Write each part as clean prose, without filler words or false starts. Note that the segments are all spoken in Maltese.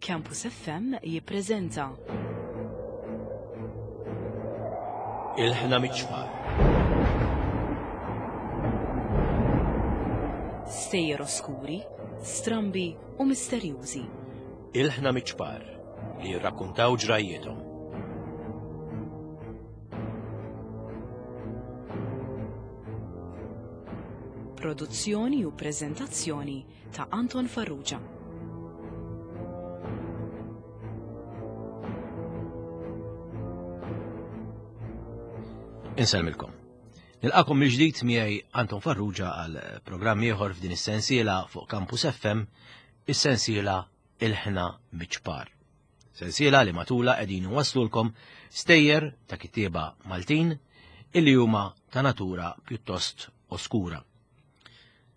Campus FM jippreżenta. Il-ħna miċ-ċfar. Stejjer oskuri, strambi u misterjużi. Il-ħna miċ-ċpar li jirrakkuntaw ġrajjiethom. Produzzjoni u preżentazzjoni ta' Anton Farrugia. Insellmilkom. Nilqakom mill-ġdid miegħi Anton Farrugia għal programm ieħor f'din is-sensiela fuq Campus FM, is-sensiela Il-ħna miċ-ċpar. Sensiela li matula qegħdin waslulkom stejjer ta' kittieba Maltin illi huma ta' natura pjuttost oskura.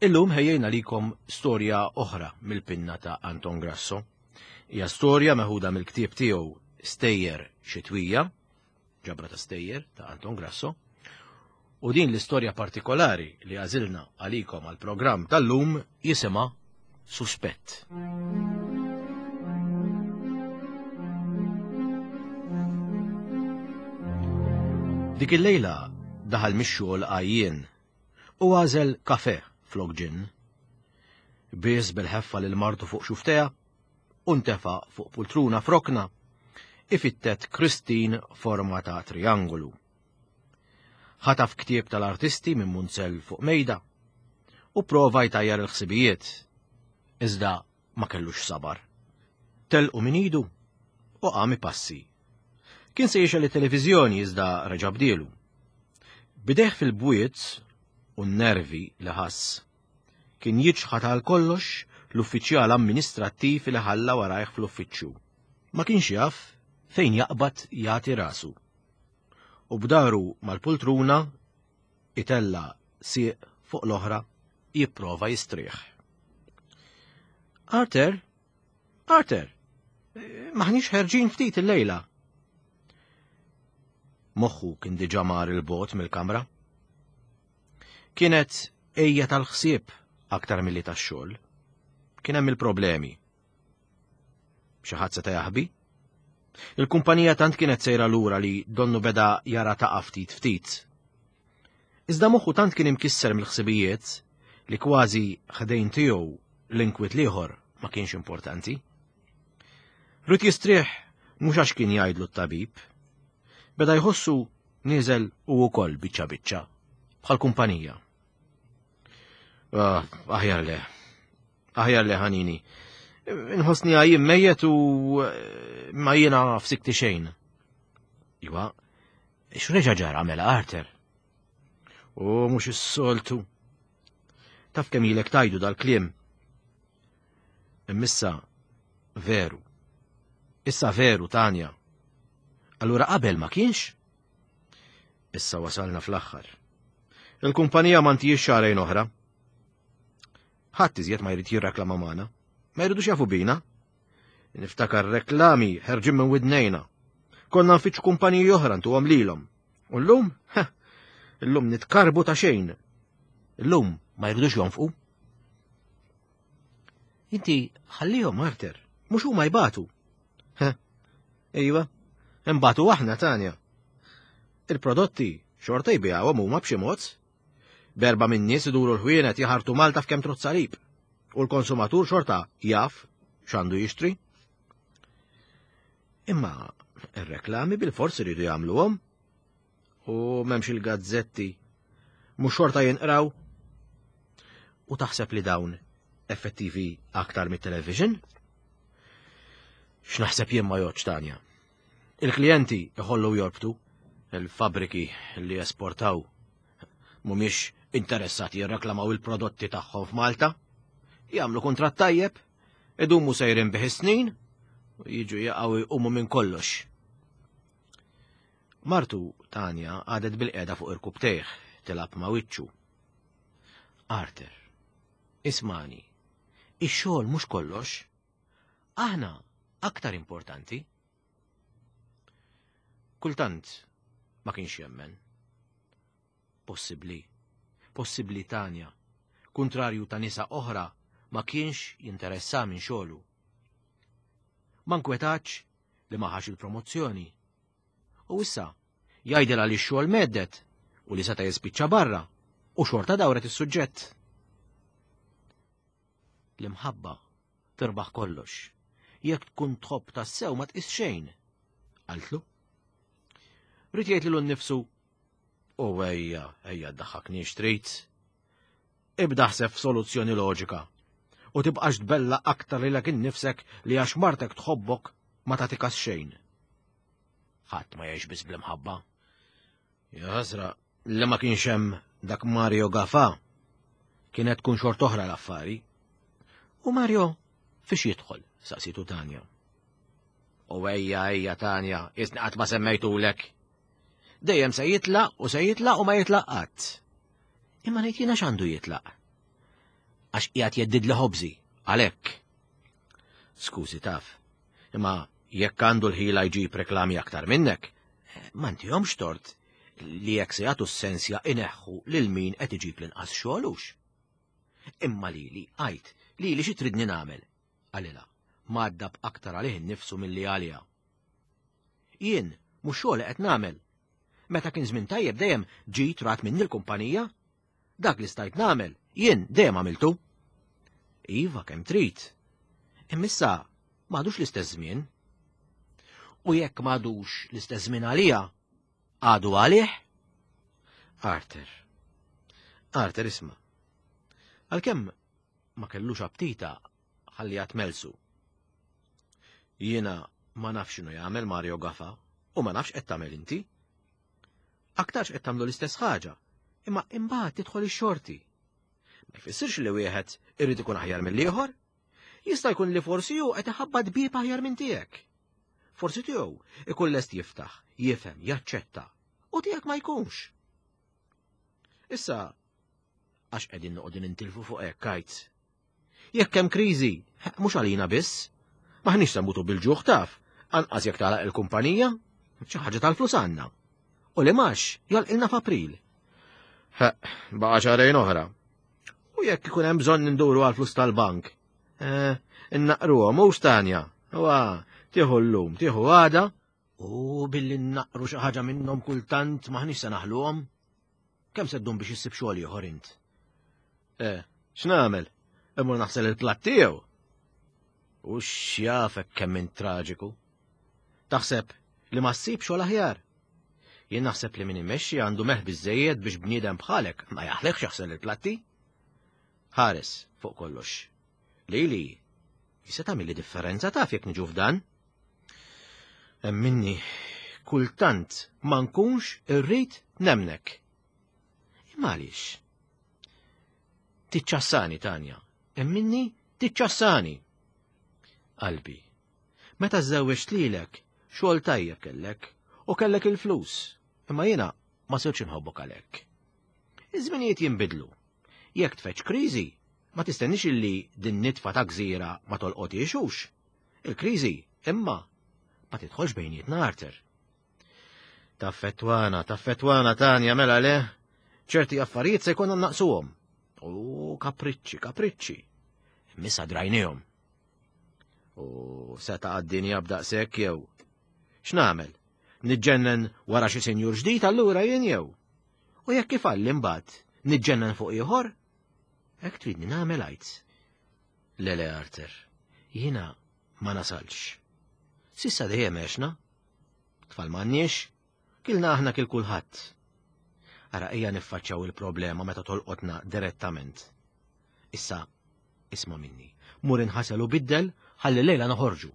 Illum ħejjejna likom storja oħra mill-pinna ta' Anton Grasso. Hija storja meħuda mill-ktieb tiegħu Stejjer Xitwija, ġabra ta' stejjer ta' Anton Grasso, u din l-istorja partikolari li għażilna għalikom għal-programm tal-lum jisimha Suspett. Dik il-lejla daħal mix-xogħol għajjien u għażel kafè flok ġinn. Bies bil-ħeffa lil martu fuq xuftejha u ntefa' fuq pultruna f'rokna ifittet Christine forma ta' triangolu. Ħataf ktieb tal-artisti minn munzell fuq mejda u prova jtajjar il-ħsibijiet, iżda ma kellux sabar. Telqu minn idu u qam ipassi. Kien se jixgħel it-televiżjoni iżda reġa' bdielu. Bidejh fil-bwiet u n-nervi li ħass. Kien jiċħad għal kollox l-uffiċjal amministrattiv li ħalla warajh fl-uffiċċju. Ma kienx jaf fejn jaqbad jagħti rasu. U b'daru mal-pultruna itella' sieq fuq l-oħra jipprova jistrieħ. Arthur, Arthur, maħniex ħerġin ftit illejla. Moħħu kien diġà mar il-bot mill-kamra. Kienet ejja tal-ħsieb aktar milli tax-xogħol. Kien hemm il-problemi. Xi ħadd seta' jaħbi? Il-kumpanija tant kienet sejra lura li donnu beda jara taqa' ftit ftit. Iżda moħħu tant kien imkisser mill-ħsibijiet li kważi ħdejn tiegħu l-inkwiet l-ieħor ma kienx importanti. Rrid jistrieħ mhux għax kien jgħidlu t-tabib. Beda jħossu nieżel u wkoll biċċa biċċa bħal kumpanija. Ah, aħjar le. Aħjar le ħanini. Nħossni għajjim mejjet u eh, ma jiena f'sikti xejn. Iwa, x'reġa ġara mela Arthur? U mhux is-soltu. Taf kemm ilek tajdu dal-kliem. Immissa veru. Issa veru, Tanja. Allura qabel ma kienx? Issa wasalna fl-aħħar. Il-kumpanija ma ntijiex xarejn oħra. Ħadd iżjed ma jrid jirreklama magħna. Ma jridux jafu bina. Niftakar reklami ħerġin minn widnejna. Konna nfittxu kumpaniji oħra ntuhom lilhom. U llum, illum nitkarbu ta' xejn. Illum ma jridux jonfqu. Inti ħallihom Arter, mhux huma jbatu. Iva, imbatu aħna Tanja. Il-prodotti xorta jbigħuhom huma b'xi mod. Berba minn nies iduru l-ħwienet jaħartu Malta f'kemm trozzalib. U l-konsumatur xorta jaf x'għandu jixtri. Imma ir-reklami bil-forsi rridu jagħmluhom. U m'hemmx il-gazzetti. Mhux xorta jinqraw. U taħseb li dawn effettivi aktar mit-television? X'naħseb jien ma jgħodx Tanja. Il-klijenti iħollu jorbtu, il-fabriki li esportaw mhumiex interessati jirreklamaw il-prodotti tagħhom f'Malta, jagħmlu kuntratt tajjeb, idumu sejrin bih snin u jiġu jaqgħu jqumu minn kollox. Martu Tanja għadet bil-qeda fuq irkubtejh tilab ma' wiċċu. Arthur, ismani, ix-xogħol mhux kollox. Aħna aktar importanti. Kultant ma kienx jemmen. Possibbli, possibbli Tanja, kuntrarju ta' nisa oħra, ma kienx jinteressa minn xogħlu. Ma nkwetax li ma ħax il-promozzjoni. U issa jgħidilha li x-xogħol meddet u li seta' jispiċċa barra u xorta dawret is-suġġett. L-imħabba tirbaħ kollox. Jekk tkun tħobb tassew ma tqis xejn. Qaltlu. Rid jgħid lilu nnifsu u ejja, ejja ddaħħakniex trid. Ibda ħseb f'soluzzjoni loġika u tibqax tbella aktar lilek innifsek li għax martek tħobbok ma tagħtikas xejn. Ħadd ma jgħix biss bl-imħabba. Ja ħasra li ma kienx hemm dak Mario Gafa kienet tkun xort oħra l-affari. U Mario fiex jidħol, saqsitu Tanja. U ejja ejja Tanja, isni qatt ma semmejtulek. Dejjem se jitlaq u se jitlaq u ma jitlaq qatt. Imma ngħid jiena x'għandu jitlaq. Għax qiegħed jeddid li ħobżi, għalhekk. Skużi taf, imma jekk għandu l-ħila jġib reklami aktar minnek, ma ntihomx tort li jekk se jagħtu s-sensja ineħħu lil min qed iġib l-inqas xogħolux. Imma lili, għajt, lili xi tridni nagħmel? Qalilha, mgħaddab aktar għalih innifsu milli għaliha. Jien mhux xogħol qed nagħmel. Meta kien żmien tajjeb dejjem ġit rat minni l-kumpanija. Dak li stajt nagħmel, jien dejjem għamiltu. Iva kemm trid. Imma issa m'għadux l-istess żmien. U jekk m'għadux l-istess żmien għalija, għadu għalih? Arthur. Arthur isma'. Għalkemm ma kellux aptita ħalli tmelsu. Jiena ma nafx x'inhu jagħmel Mario Gafa u ma nafx qed tagħmel inti. Aktarx qed tagħmlu l-istess ħaġa, imma imbagħad tidħol ix-xorti. Ma jfissirx li wieħed irid ikun aħjar mill-ieħor. Jista' jkun li forsi hu qed iħabbat bieb aħjar minn tiegħek. Forsi tiegħu ikun lest jiftaħ, jifhem, jaċċetta, u tiegħek ma jkunx. Issa, għax qegħdin noqogħdu nintilfu fuq hekk għajt. Jekk hemm kriżi, mhux għalina biss. Maħniex se nmutu bil-ġuħ taf, anqas jekk tagħlaq il-kumpanija, xi ħaġa tal-flus għandna. U li max jalqilna f'April. Baqa' xahrejn oħra. U jekk ikun hemm bżonn nduru għal flus tal-bank. Eh, innaqruhom mhux Tanja. Wa, tieħu llum, tieħu għada, u billi naqru xi ħaġa minnhom kultant maħniex se naħluhom. Kemm se ddum biex issib xogħol ieħor int? Eh, x'nagħmel? Immur naħsel il-platt tiegħu. U x'jafek kemm int traġiku. Taħseb li ma ssib xogħol aħjar. Jien naħseb li min imexxi għandu meħ biżejjed biex bniedem bħalek ma jaħlekx jaħsel il-platti. Ħares fuq kollox. Lili, jista' tagħmilli differenza taf jekk niġu f'dan? Emminni, kultant ma nkunx irrid nemnek. Imma għaliex? Tiċċassani, Tanja. Emminni, tiċċassani. Qalbi, meta żewġt lilek, xogħol tajjeb kellek u kellek il-flus, imma jiena ma sirtx inħobbok għalhekk. Iż-żminijiet jinbidlu. Jekk tfeċ kriżi, ma tistennix illi din nitfa ta' gżira ma tolqotiex hux. Il-kriżi, imma, ma tidħolx bejnietna Arthur. Taffettwana, taffettwana Tanja mela le, ċerti affarijiet se jkollna naqsuhom. U kapriċċi, kapriċċi. Missa drajnihom. U seta' għad-dinja b'daqshekk jew. X'nagħmel? Niġġennen wara xi sinjur ġdid allura jien jew? U jekk ifalli mbagħad niġġennen fuq ieħor? Hekk tridni nagħmel għajt. Le le Arthur, jiena ma nasalx. Sissa dejjem għexna. Tfal m'għandniex, kilna aħna kil kulħadd. Ara ejja niffaċċjaw il-problema meta tolqotna direttament. Issa, isma' minni, mur inħasel u biddel ħalli lejla noħorġu.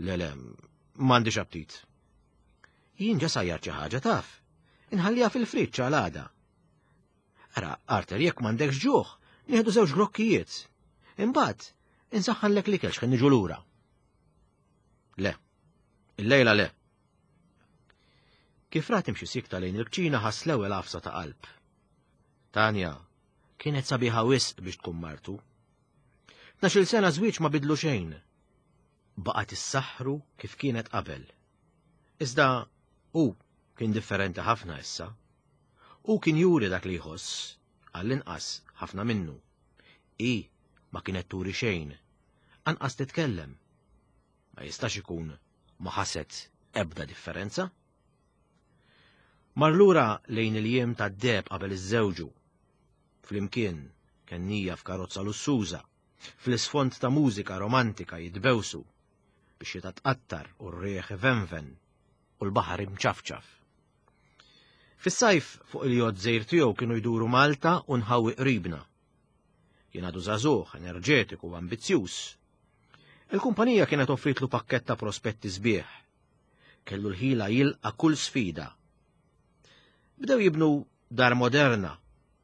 Le le, m'għandix aptit. Jien ġa sajjar xi ħaġa taf. Inħalliha fil-friġġ għal għada. Ara, Arthur, jekk m'għandekx ġuħ, nieħdu żewġ grokkijiet. Imbagħad, insaħħanlek l-ikel x'ħin niġu lura. Le, il-lejla le. Kif rat imxi sikta lejn il-kċina ħass l-ewwel għafsa ta' qalb. Tanja kienet sabiħa wisq biex tkun martu. Tnax-il sena żwieġ ma bidlu xejn. Baqgħet issaħħru kif kienet qabel. Iżda hu kien differenti ħafna issa. Hu kien juri dak li jħoss, għall-inqas ħafna minnu. Hi ma kienet turi xejn, anqas titkellem. Ma jistax ikun ma ħasset ebda differenza. Mar lura lejn il-jiem tad-deheb qabel iżżewġu. Flimkien kennija f'karozza lussuża, fl-isfond ta' mużika romantika jitbewsu, bix-xita tqattar u r-riħ ivenven u l-baħar imċafċaf. Fis-sajf fuq il-jott żgħir tiegħu kienu jduru Malta u nħawi qribna. Kien għadu żagħżugħ, enerġetiku u ambizzjuż. Il-kumpanija kienet offritlu pakkett ta' prospetti sbieħ. Kellu l-ħila jilqa' kull sfida. Bdew jibnu dar moderna,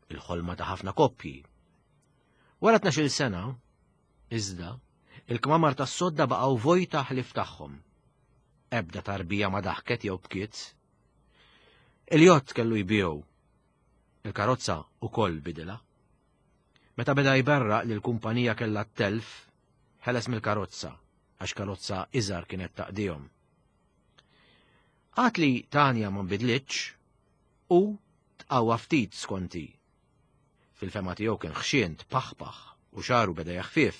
il-ħolma ta' ħafna koppji. Wara 12-il sena, iżda, il-kmamar tas-sodda baqgħu vojta ħlief tagħhom. Ebda tarbija ma daħket jew bkiet. Il-jott kellu jbigħu. Il-karozza ukoll bidilha. Meta beda jberraq li l-kumpanija kellha t-telf, ħeles mill-karozza għax karozza iżgħar kienet taqdihom. Għad li Tanja ma nbidlitx u tqawwa ftit skonti. Fil-fema tiegħu kien ħxien tpaħpaħ u xaru beda jaħfief.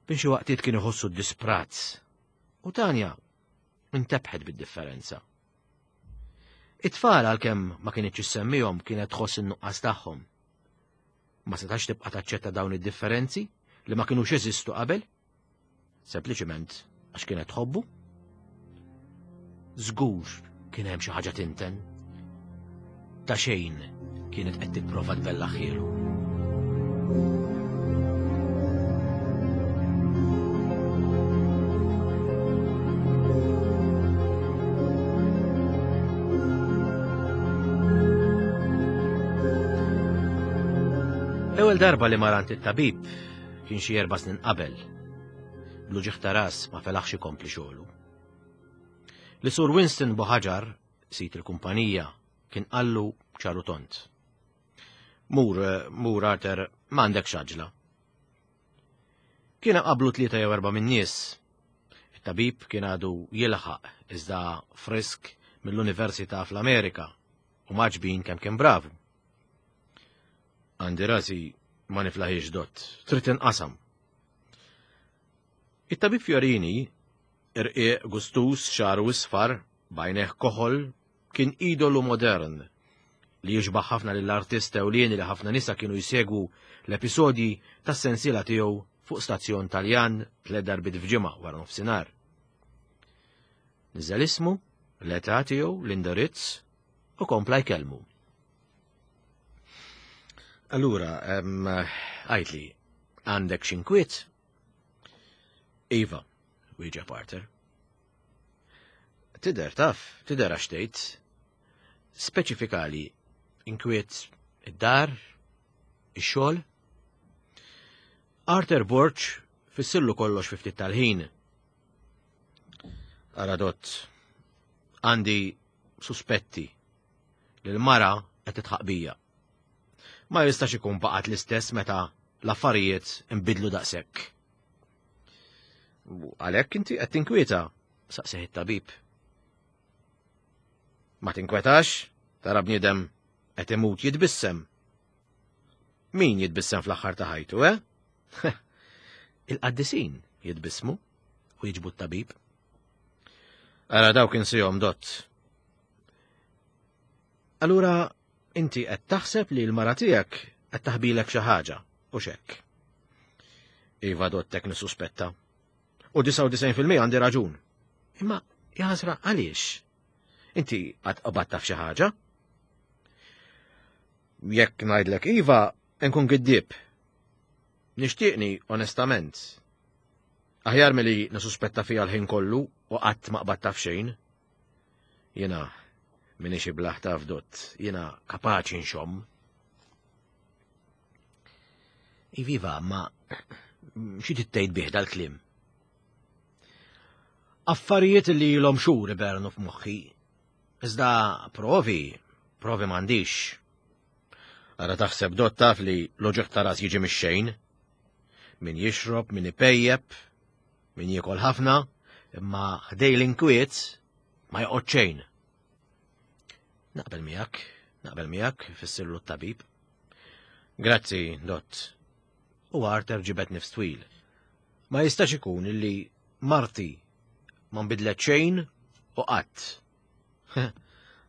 Bin xi waqtiet kien iħossu disprat u Tanja intebħet bid-differenza. It-tfal għalkemm ma kinitx issemmihom kienet tħoss in-nuqqas tagħhom. Ma setax tibqa' taċċetta dawn id-differenzi li ma kinux jeżistu qabel, sempliċement għax kienet tħobbu. Żgur kien hemm xi ħaġa tinten. Ta' xejn kienet qed tipprova tbellaħhielu. L-ewwel darba li marant it-tabib kien xi erba' snin qabel. Bl-uġigħ ta' ras ma felaħx ikompli xogħlu. Li Sur Winston Boħaġar, sid il-kumpanija, kien qallu ċaru tont. Mur, mur Arthur, m'għandekx għaġla. Kien qablu tlieta jew erba' min-nies. It-tabib kien għadu jilħaq iżda frisk mill-Università fl-Amerika u maġbin kemm kien bravu. Għandi rasi ma niflaħiex dott, trid inqasam. It-tabib Fiorini, irqiq gustus xaru isfar, bajneħ koħol, Kien idolu modern li jixbaħ ħafna lill-artist ewlieni li ħafna nisa kienu jsegwu l-episodji tas-sensiela tiegħu fuq stazzjon Taljan tliet darbiet f'ġimgħa wara nofsinhar. Niżel ismu, l-età tiegħu, l-indirizz u kompla jkellmu. Allura, għidli, għandek xi nkwiet? Iva, wieġeb Arthur. Tidher taf, tidher għax tgħid. Speċifikali inkwiet id-dar, ix-xogħol. Arthur Borg fissillu kollox fi ftit tal-ħin. Aradot, għandi suspetti li l-mara qed titħaq bija. Ma jistax ikun baqgħet l-istess meta l-affarijiet inbidlu daqshekk. Għalhekk inti qed tinkwieta, saqsih it-tabib. Ma tinkwetax, tara bniedem qed imut jitbissem. Min jitbissem fl-aħħar ta' ħajtu, eh? Il-qaddisin jitbissmu u jiġbu t-tabib. Ara dawk insihom dott. Allura inti qed taħseb li l-mara tiegħek qed taħbilek xi ħaġa, u xekk. Iva dottek nissuspetta. U 99% għandi raġun. Imma jaħasra għaliex? Inti qatt qabadt taf xi ħaġa? Jekk ngħidlek iva, nkun giddieb. Nixtieqni onestament. Aħjar milli nisuspetta fiha l-ħin kollu u qatt ma qbadt taf xejn. Jiena minix iblaħ taf dott, jiena kapaċi nxomm. Iviva, ma xi tittejt bih dal-kliem? Affarijiet li ilhom xhur ibernu f'moħħi. Iżda provi, provi m'għandix. Ara taħseb dott taf li l-oġeħ ta' ras jiġi mix-xejn. Min jixrob, min ipejjep, min jiekol ħafna, imma ħdej l-inkwiet ma joqgħod xejn. Naqbel miegħek, naqbel miegħek, fissirlu t-tabib. Grazzi, dott. U Arthur ġibed nifs twil. Ma jistax ikun illi Marti ma nbidlet xejn u qatt.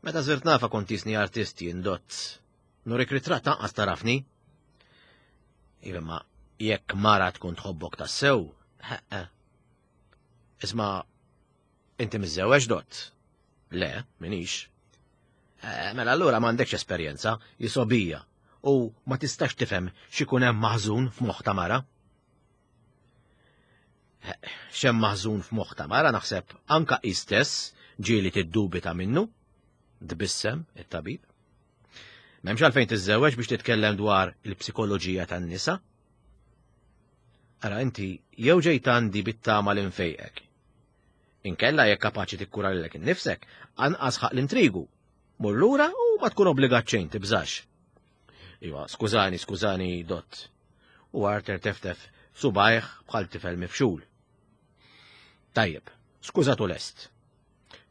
Meta sirt nafa kont jisni artist jien dott. Nurik ritratt anqas tarafni. Iva ma jekk mara tkun tħobbok tassew, Isma' inti miżżewweġ dott? Le, minix. Eh, mela allura m'għandekx esperjenza, jisobija, u ma tistax tifhem x'ikun hemm maħżun f'moħħ ta' mara. Eh, x'hemm maħżun f'moħħ ta' mara naħseb anka hi stess ġieli tiddubita minnu, tbissem it-tabib. M'hemmx għalfejn tiżżewweġ biex titkellem dwar il-psikoloġija tan-nisa. Ara inti jew ġejt għandi bit-tama li nfejqek. Inkella jekk kapaċi tikkura lilek innifsek, anqas ħaq l-intrigu. Mur lura u ma tkun obbligat xejn tibżax. Iva, skużani, skużani, dott. U Arthur teftef subajh bħal tifel mifxul. Tajjeb, skużatu lest.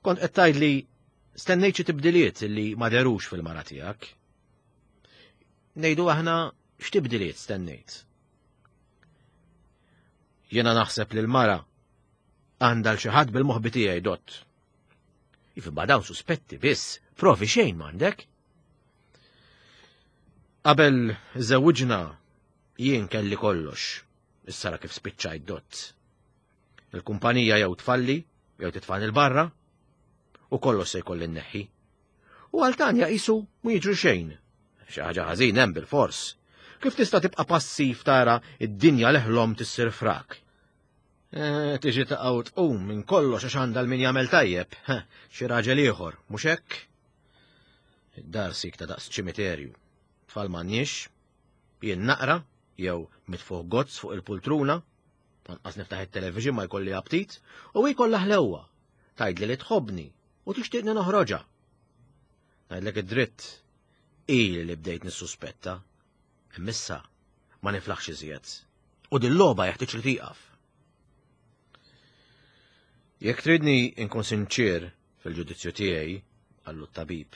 Kont qed tgħidli stennejt xi tibdiliet li ma derux fil-mara tiegħek. Ngħidu aħna x'tibdiliet stennejt? Jiena naħseb li l-mara għandha l xi ħadd bil-moħbi tiegħi dott. Ifi ma dawn suspetti biss, provi xejn m'għandek. Qabel żewġna jien kelli kollox, issa ra kif spiċċajt dott. Il-kumpanija jew tfalli, jew titfani l-barra, u kollox se jkolli nneħħi. U għal Tanja qisu mu jiġri xejn. Xi ħaġa ħażin hemm bil-fors. Kif tista' tibqa' passiv tara id-dinja li ħlom tissir frak? Eh, tiġi taqgħu tqum minn kollox għax għandha l-min jagħmel tajjeb, xi raġel ieħor, mhux hekk? Id-dar sik ta' daqs ċimiterju. Tfal m'għandniex, jien naqra jew mitfuħ gozz fuq il-pultruna, anqas niftaħ it-television ma jkolli aptit, u hi kollha ħlewwa. Tgħidli li tħobbni u tixtieqni noħroġha. Ngħidlek id-dritt, ili li bdejt nissuspetta. Imma ma niflaħx iżjed. U din logħba jeħtieġ li tieqaf. Jekk tridni nkun sinċier fil-ġudizzju tiegħi, qallu t-tabib.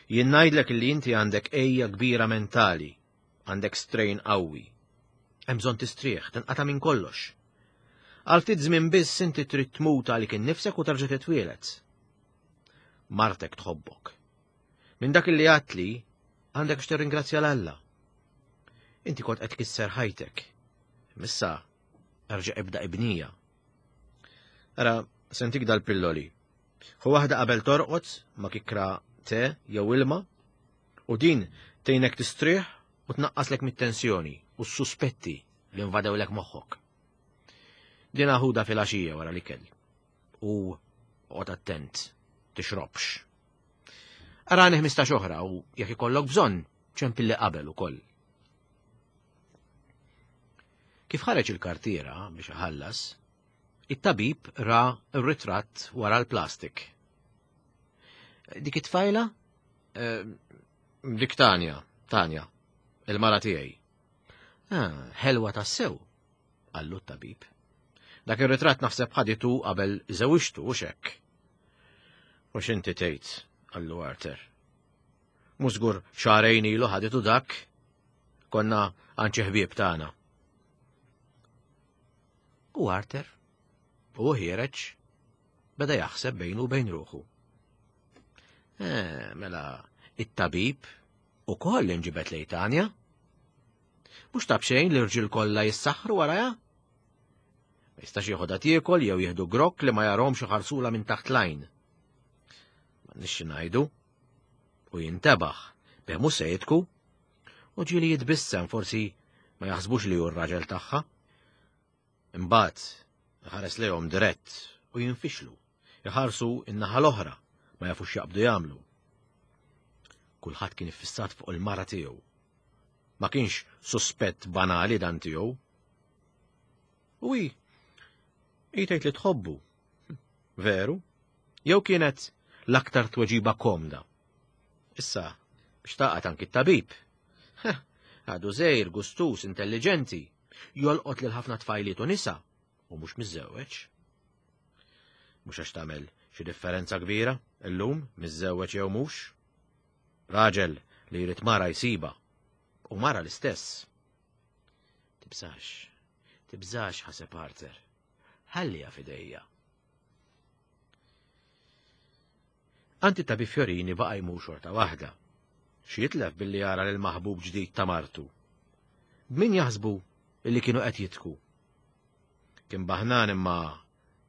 Jien ngħidlek li inti għandek ejja kbira mentali, għandek strain qawwi. Hemm bżonn tistrieħ, tinqata' minn kollox. Għal ftit żmien biss inti trid tmut għalik innifsek u terġa' titwieled. Martek tħobbok. Minn dak li għatli, għandek x'tirringrazzja l-Alla. Inti kont qed tkisser ħajtek. Missa, erġa' ibda ibnija. Ara, sentik dal-pilloli. Hu waħda qabel torqod ma kikra te jew ilma u din tgħinek tistrieħ u tnaqqaslek mit-tensjoni u s-suspetti li invadewlek moħħok. Din aħuda fil-għaxija wara l-ikel. U oqgħod attent, tixrobx. Arani 15 oħra u jekk ikollok bżonn ċempilli qabel ukoll. Kif ħareġ il-kartiera biex iħallas, it-tabib ra r-ritratt wara l-plastik. Dik it-tfajla? Eh, dik Tanja, Tanja, il-mara tiegħi. Ah, ħelwa tassew, qallu t-tabib. Dak ir-ritratt naħseb ħaditu qabel żewġtu u xekk. U x'inti tgħid, qallu Arthur. Mhux żgur xahrejn ilu ħaditu dak. Konna għand xi ħbieb tagħna. U Arthur, u ħiereġ, beda jaħseb bejnu u bejn ruħu. Eh, mela, it-tabib u koll inġibet lej Tanja. Mhux ta' b'xejn l-irġiel kollha jissaħħru warajha? Ma jistax jieħodha tiekol jew jieħdu grokk li ma jarhomx iħarsula minn taħt lajn. Ma nixxi ngħidu. U jintebaħ bih mhux se jitku. U ġieli jitbissem forsi ma jaħsbux li hu r-raġel tagħha. Imbagħad iħares lejhom dirett u jinfixlu. Iħarsu in-naħa l-oħra ma jafux jaqbdu jagħmlu. Kulħadd kien iffissat fuq il-mara tiegħu. Ma kienx suspett banali dan tiegħu. U hi, hi tgħid li tħobbu. Veru? Jew kienet l-aktar tweġiba komda. Issa, biex taqgħad anki t-tabib. Għadu żejr, gustus, intelligenti, jolqot lil ħafna tfajliet u nisa, u mhux miżżewweġ. Mhux għax tagħmel xi differenza kbira illum miżżewweġ jew mhux. Raġel li jrid mara jsibha u mara l-istess. Tibżax, tibżax ħaseb Arthur. Ħalliha f'idejja. Anti Tabib Fiorini baqa' jmur xorta waħda. Xi jitlef billi jara lil maħbub ġdid ta' martu. B'min jaħsbu illi kienu qed jidħku? Kien baħnan imma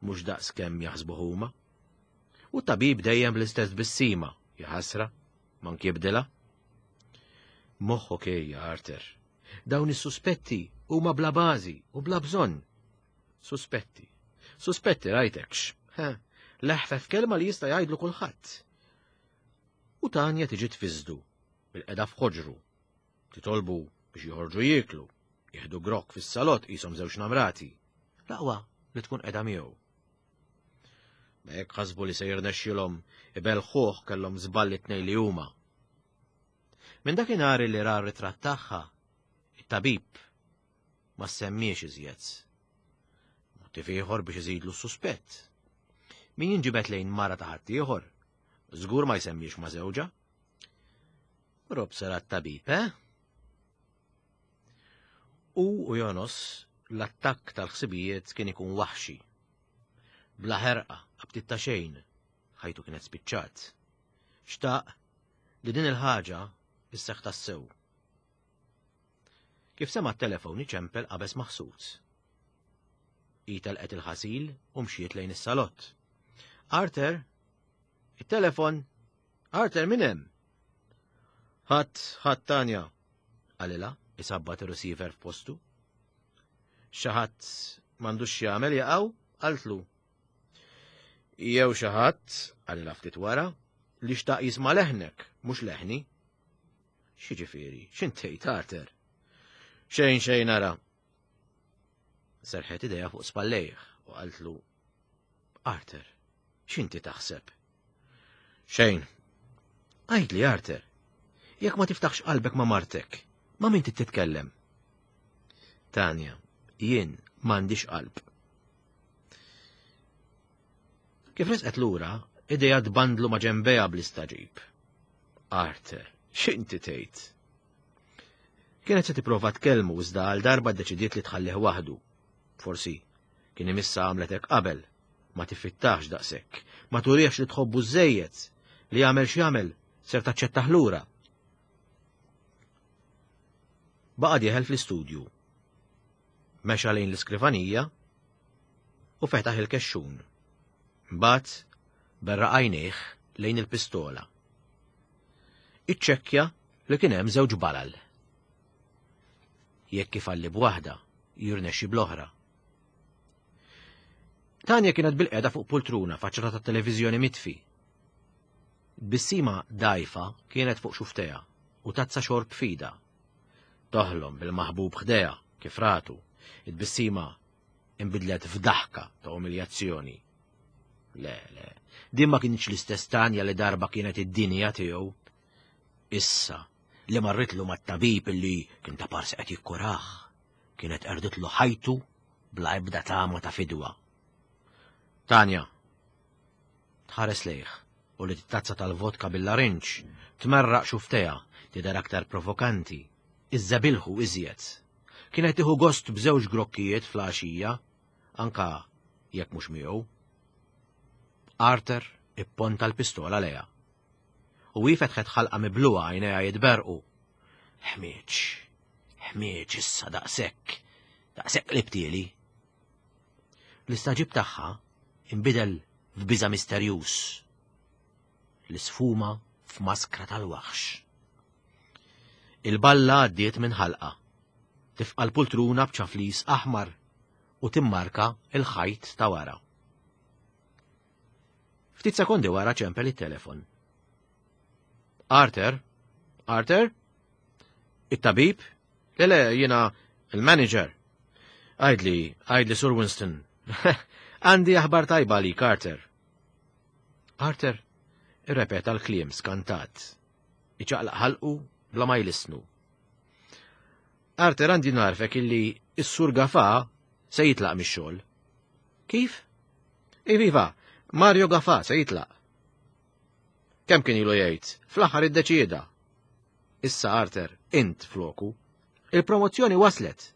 mhux daqs kemm jaħsbu huma. U t-tabib dejjem bl-istess tbissima, jaħasra, mank jibdilha. Moħħok ejja, Arthur. Dawn is-suspetti huma bla bażi u bla bżonn. Suspetti. Suspetti rajtekx. Leħfef kelma li jista' jgħidlu kulħadd. U Tanja tiġi tfiżdu bil-qeda f'ħoġru. Titolbu biex joħorġu jieklu, jieħdu grokk fis-salott qishom żewġ namrati. L-aqwa li tkun qeda miegħu. Ma jekk ħasbu li se jirnexxilhom ibelħuh kellhom żball it-tnejn li huma. Minn dakinhar li ra r-ritratt tagħha, it-tabib ma semmiex iżjed. Motiv ieħor biex iżidlu s-suspett. Min jinġibed lejn mara ta' ħaddieħor, żgur ma jsemmiex ma' żewġha. Rob sara tabib, eh? U u jonos l-attakk tal-ħsibijiet kien ikun waħxi. Bla ħerqa, abtit ta' xejn, ħajtu kienet spiċċat. Xtaq li din il-ħaġa isseħ tassew. Kif sema' t-telefon iċempel qabeż maħsud. Hi telqet il-ħasil u mxiet lejn is-salott. Arthur! It-telefon! Arthur min hemm? Ħadd, ħadd Tanja, qalilha isabbat ir-receiver f'postu. Xi ħadd m'għandux x'jagħmel jaqgħu, qaltlu. Jew xi ħadd, qalilha ftit wara, li xtaq jisma' leħnek, mhux leħni. X'jiġifieri? X'int tgħid, Arthur? Xejn xejn ara. Serħet idejha fuq spallejh u qaltlu, Arthur, x'inti taħseb? Xejn. Għidli, Arthur, jekk ma tiftaħx qalbek ma' martek, ma' min titkellem? Tanja, jien m'għandix qalb. Kif resqet lura, idejha tbandlu ma' ġenbejha bl-istagħġib. Arthur, x'inti tgħid? Kienet se tipprova tkellmu iżda għal darba ddeċidiet li tħallih waħdu. Forsi kien imissa għamlet hekk qabel, ma tiffittax daqshekk, ma turihx li tħobbu żejjed, li jagħmel x'jagħmel ser taċċettah lura. Baqa' dieħel fl-istudju. Mexa lejn l-iskrivanija u fetaħ il-kexxun. Mbagħad berraq għajnejh lejn il-pistola. Iċċekkja li kien hemm żewġ balal. Jekk ifalli b'waħda, jirnexxi bl-oħra. Tanja kienet bil-qeda fuq pultruna faċċata ta' televiżjoni mitfi. Bissima dajfa kienet fuq xuftejha u tazza xorb fida. Toħlom bil-maħbub ħdejha kif ratu, it-tbissima inbidlet f'daħka ta' umiljazzjoni. Le, le, din ma kienx l-istess Tanja li darba kienet id-dinja tiegħu. Issa li marritlu mat-tabib illi kien ta' parsi qed jikkurah, kienet qerditlu ħajtu bla ebda tama ta' fidwa. Tanja, tħares lejh u li t-tazza tal-vodka bil-larinġ tmerraq xuftejha tidher aktar provokanti, iżżebilħu iżjed. Kienet tieħu gost b'żewġ grokkijiet fl-għaxija, anka jekk mhux miegħu. Arthur ipponta l-pistola lejha. U hi fetħet ħalqa mibluha għajnejha jitberqu. Ħmieġ, ħmieġ issa daqshekk, daqshekk qlibtieli. L-istagħġib tagħha inbidel f'biża' misterjuż li sfuma f'maskra tal-waħx. Il-balla għaddiet minn ħalqa, tifqa' l-pultruna b'ċaflis aħmar u timmarka l-ħajt ta' wara. Ftit sekondi wara ċempel it-telefon. Arthur? Arthur? It-tabib? Le le, jiena il-manager. Għidli, għidli Sur Winston. Għandi aħbar tajba li Carter. Arthur irrepeta l-kliem skantat. Iċaqlaq ħalqu bla ma jlissnu. Arthur għandi narfek illi s-sur Gafa se jitlaq mix-xogħol. Kif? Iviva, Mario Gafa se jitlaq. Kemm kien ilu jgħid, fl-aħħar iddeċieda. Issa Arthur, int floku. Il-promozzjoni waslet.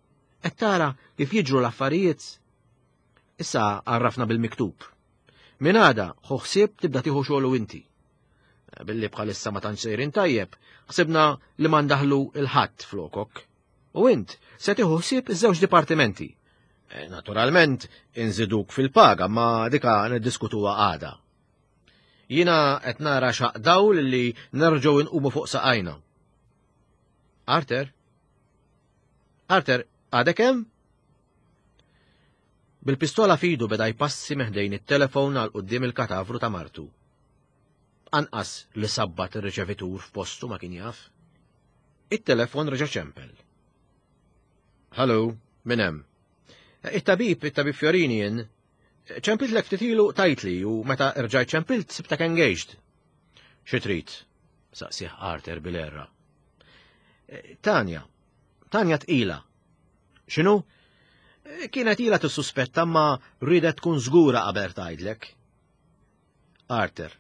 Qed tara kif jiġru l-affarijiet. Issa għarrafna bil-miktub. Minn għada, ħu ħsieb tibda tieħu xogħlu inti. Billi bħalissa ma tantx sejrin tajjeb, ħsibna li ma ndaħlu il-ħadd flokok. U int se tieħu ħsieb iż-żewġ dipartimenti. Eh, naturalment, inżiduk fil-paga, ma dika niddiskutuha għada. Jina qed nara xaq dawl li nerġgħu nqumu fuq saqajna. Arter? Arter, għadek hemm? Bil-pistola fidu beda jpassi meħdejn it-telefon għal quddiem il-katavru ta' martu. Anqas li sabbat ir-riċevitur f'postu ma kien jaf. It-telefon reġa' ċempel. Hallo, min hemm? It-tabib, it-tabib Fiorini jien. Ċempiltlek ftit ilu tajtli u meta rġajt ċempilt sibtek engaged. Xi trid? saqsih Arthur bil-erra. Tanja, Tanja tqila. X'inhu? Kienet ilha tissuspetta ma ridet tkun żgura qabel tgħidlek. Arthur,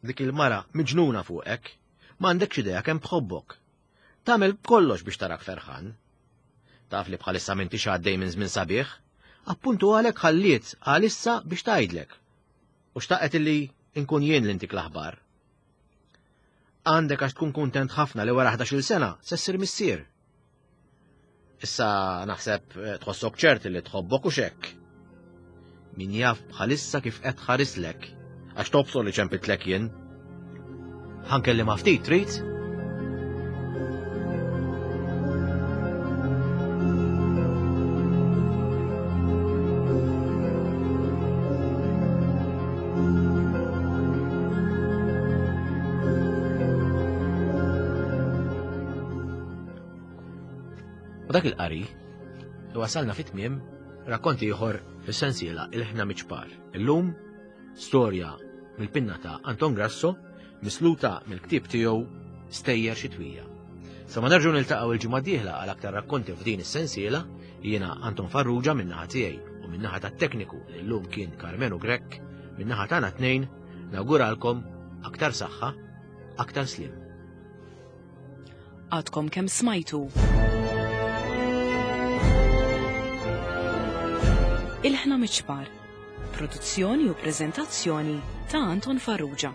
dik il-mara miġnuna fuqek, m'għandekx idea kemm tħobbok. Tagħmel kollox biex tarak ferħan. Taf li bħalissa m'intix għaddej minn żmien sabiħ, appuntu għalhekk ħalliet għalissa biex tgħidlek. U xtaqet illi nkun jien li ntik l-aħbar. Għandek għax tkun kuntent ħafna li wara 11-il sena se ssir missier. Issa naħseb eh, tħossok ċert li tħobbok u xekk. Min jaf bħalissa kif qed ħarislek, għax tobsor li ċempitlek jien. Ħankellimha ftit trid? U dak il-qari wasalna fit-tmiem rakkont ieħor fis-sensiela Il-ħna miċpar. Illum storja mill-pinna ta' Anton Grasso misluta mill-ktieb tiegħu Stejjer Xitwija. Sa ma nerġgħu niltaqgħu il-ġimgħa dieħla għal aktar rakkonti f'din is-sensiela, jiena Anton Farrugia min-naħa tiegħi u min-naħa tat-tekniku li llum kien Karmenu Grech, min-naħa tagħna tnejn, nawguralkom aktar saħħa, aktar slim. Għadkom kemm smajtu. Il-ħna miċpar. Produzzjoni u preżentazzjoni ta' Anton Farrugia.